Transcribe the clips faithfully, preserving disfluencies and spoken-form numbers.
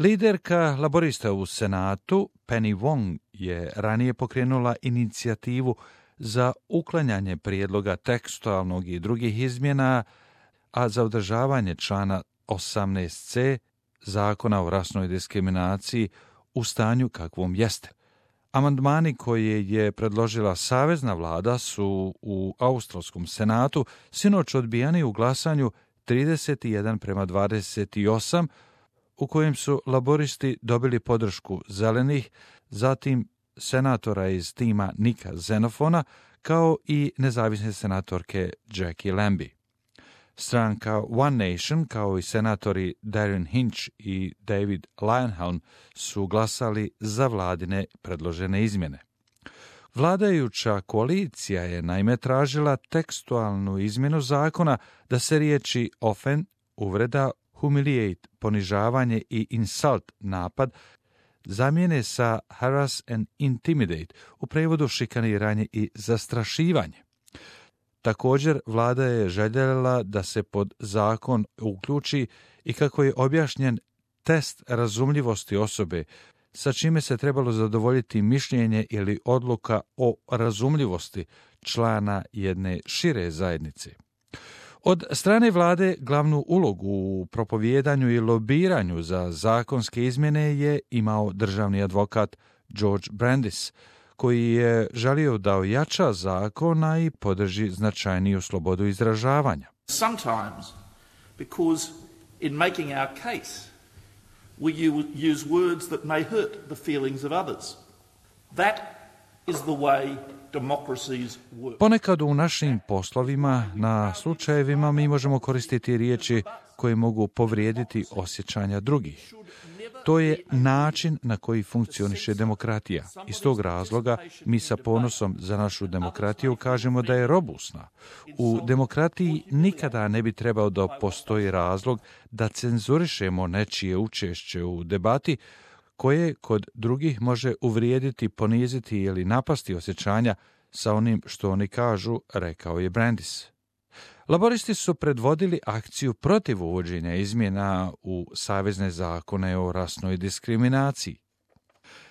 Liderka laborista u Senatu, Penny Wong, je ranije pokrenula inicijativu za uklanjanje prijedloga tekstualnog i drugih izmjena, a za održavanje člana osamnaest ce Zakona o rasnoj diskriminaciji u stanju kakvom jeste. Amandmani koje je predložila savezna vlada su u Australskom senatu sinoć odbijani u glasanju trideset jedan prema dvadeset osam, u kojem su laboristi dobili podršku zelenih, zatim senatora iz tima Nika Xenofona, kao i nezavisne senatorke Jackie Lambie. Stranka One Nation, kao i senatori Darren Hinch i David Leyonhjelm, su glasali za vladine predložene izmjene. Vladajuća koalicija je naime tražila tekstualnu izmjenu zakona da se riječi offend, uvreda, humiliate, ponižavanje i insult, napad, zamijene sa harass and intimidate, u prevodu šikaniranje i zastrašivanje. Također, vlada je željela da se pod zakon uključi i, kako je objašnjen, test razumljivosti osobe, sa čime se trebalo zadovoljiti mišljenje ili odluka o razumljivosti člana jedne šire zajednice. Od strane vlade glavnu ulogu u propovijedanju i lobiranju za zakonske izmjene je imao državni advokat George Brandis, koji je želio da ojača zakona i podrži značajniju slobodu izražavanja. Sometimes, because in making our case, we use words that may hurt the feelings of others. That is the way democracies work. Ponekad u našim poslovima, na slučajevima, mi možemo koristiti riječi koje mogu povrijediti osjećanja drugih. To je način na koji funkcioniše demokratija. Iz tog razloga mi sa ponosom za našu demokratiju kažemo da je robusna. U demokratiji nikada ne bi trebao da postoji razlog da cenzurišemo nečije učešće u debati koje kod drugih može uvrijediti, poniziti ili napasti osjećanja sa onim što oni kažu, rekao je Brandis. Laboristi su predvodili akciju protiv uvođenja izmjena u savezne zakone o rasnoj diskriminaciji.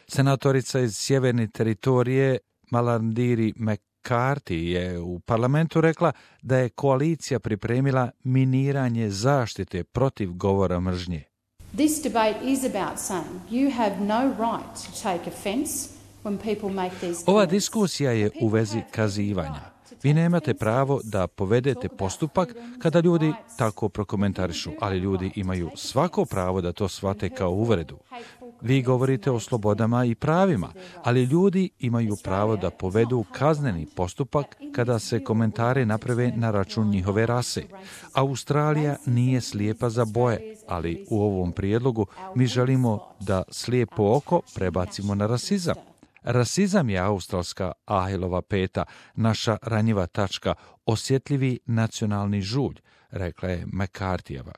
Senatorica iz sjeverne teritorije Malarndirri McCarthy je u parlamentu rekla da je koalicija pripremila miniranje zaštite protiv govora mržnje. This debate is about saying you have no right to take offense when people make these. Ova diskusija je u vezi kazivanja. Vi nemate pravo da povedete postupak kada ljudi tako prokomentarišu, ali ljudi imaju svako pravo da to shvate kao uvredu. Vi govorite o slobodama i pravima, ali ljudi imaju pravo da povedu kazneni postupak kada se komentari naprave na račun njihove rase. Australija nije slijepa za boje, ali u ovom prijedlogu mi želimo da slijepo oko prebacimo na rasizam. Rasizam je australska Ahilova peta, naša ranjiva tačka, osjetljivi nacionalni žulj, rekla je McCarthyjeva.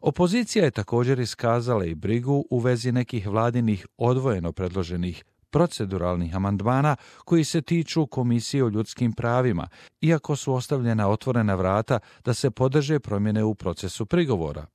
Opozicija je također iskazala i brigu u vezi nekih vladinih odvojeno predloženih proceduralnih amandmana koji se tiču Komisije o ljudskim pravima, iako su ostavljena otvorena vrata da se podrže promjene u procesu prigovora.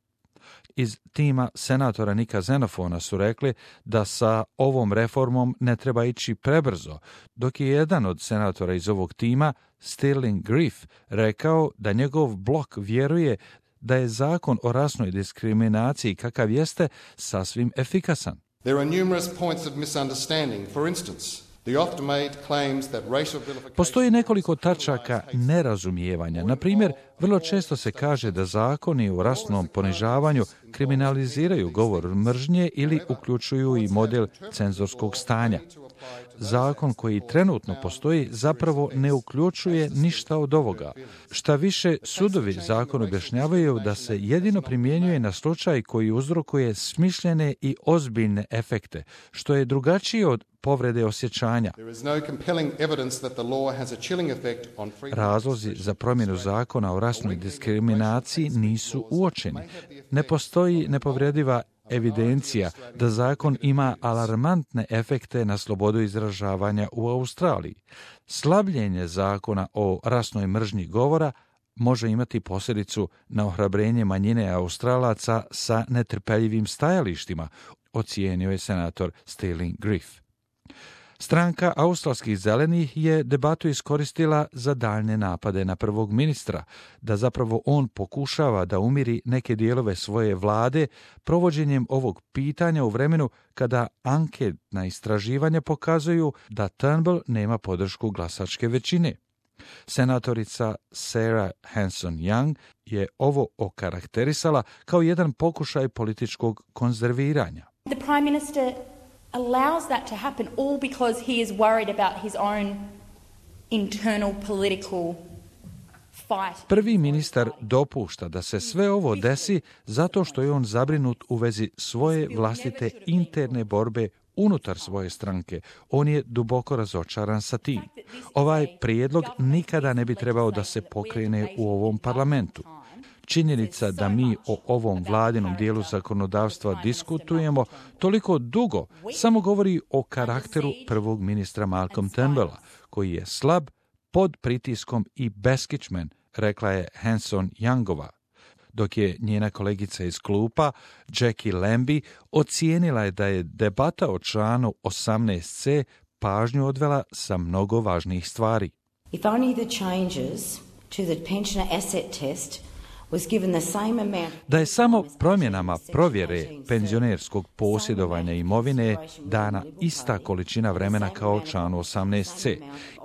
Iz tima senatora Nika Xenofona su rekli da sa ovom reformom ne treba ići prebrzo, dok je jedan od senatora iz ovog tima, Sterling Griff, rekao da njegov blok vjeruje da je zakon o rasnoj diskriminaciji kakav jeste sasvim efikasan. There are numerous points of misunderstanding. For instance, the oft-made claims that racial vilification... Postoji nekoliko tačaka nerazumijevanja. Na primjer, vrlo često se kaže da zakoni o rasnom ponižavanju kriminaliziraju govor mržnje ili uključuju i model cenzorskog stanja. Zakon koji trenutno postoji zapravo ne uključuje ništa od ovoga. Šta više, sudovi zakon objašnjavaju da se jedino primjenjuje na slučaj koji uzrokuje smišljene i ozbiljne efekte, što je drugačije od povrede osjećanja. Razlozi za promjenu zakona o rasnoj diskriminaciji nisu uočeni. Ne postoji nepovrediva evidencija da zakon ima alarmantne efekte na slobodu izražavanja u Australiji. Slabljenje zakona o rasnoj mržnji govora može imati posljedicu na ohrabrenje manjine Australaca sa netrpeljivim stajalištima, ocijenio je senator Sterling Griff. Stranka australskih zelenih je debatu iskoristila za daljne napade na prvog ministra, da zapravo on pokušava da umiri neke dijelove svoje vlade provođenjem ovog pitanja u vremenu kada anketna istraživanja pokazuju da Turnbull nema podršku glasačke većine. Senatorica Sarah Hanson-Young je ovo okarakterisala kao jedan pokušaj političkog konzerviranja. The Prime Minister allows that to happen all because he is worried about his own internal political fight. Prvi ministar dopušta da se sve ovo desi zato što je on zabrinut u vezi svoje vlastite interne borbe unutar svoje stranke. On je duboko razočaran sa tim. Ovaj prijedlog nikada ne bi trebao da se pokrene u ovom parlamentu. Činjenica da mi o ovom vladinom dijelu zakonodavstva diskutujemo toliko dugo samo govori o karakteru prvog ministra Malcolm Turnbulla, koji je slab, pod pritiskom i beskičmen, rekla je Hanson-Youngova, dok je njena kolegica iz klupa, Jackie Lambie, ocijenila je da je debata o članu osamnaest ce pažnju odvela sa mnogo važnijih stvari. If only the changes to the pensioner asset test Da je samo promjenama provjere penzionerskog posjedovanja imovine dana ista količina vremena kao članu osamnaest ce,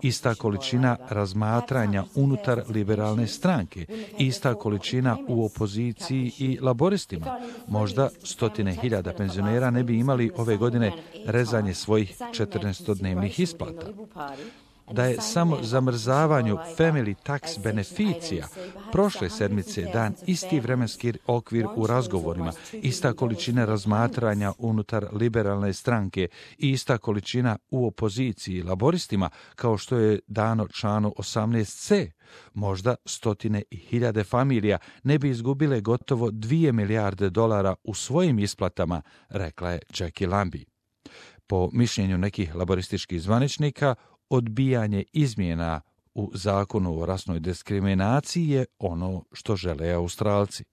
ista količina razmatranja unutar liberalne stranke, ista količina u opoziciji i laboristima, možda stotine hiljada penzionera ne bi imali ove godine rezanje svojih četrnaestodnevnih isplata. Da je samo zamrzavanju family tax beneficija prošle sedmice dan isti vremenski okvir u razgovorima, ista količina razmatranja unutar liberalne stranke i ista količina u opoziciji laboristima kao što je dano članu osamnaest ce, možda stotine i hiljade familija ne bi izgubile gotovo dvije milijarde dolara u svojim isplatama, rekla je Jackie Lambie. Po mišljenju nekih laborističkih zvaničnika, odbijanje izmjena u zakonu o rasnoj diskriminaciji je ono što žele Australci.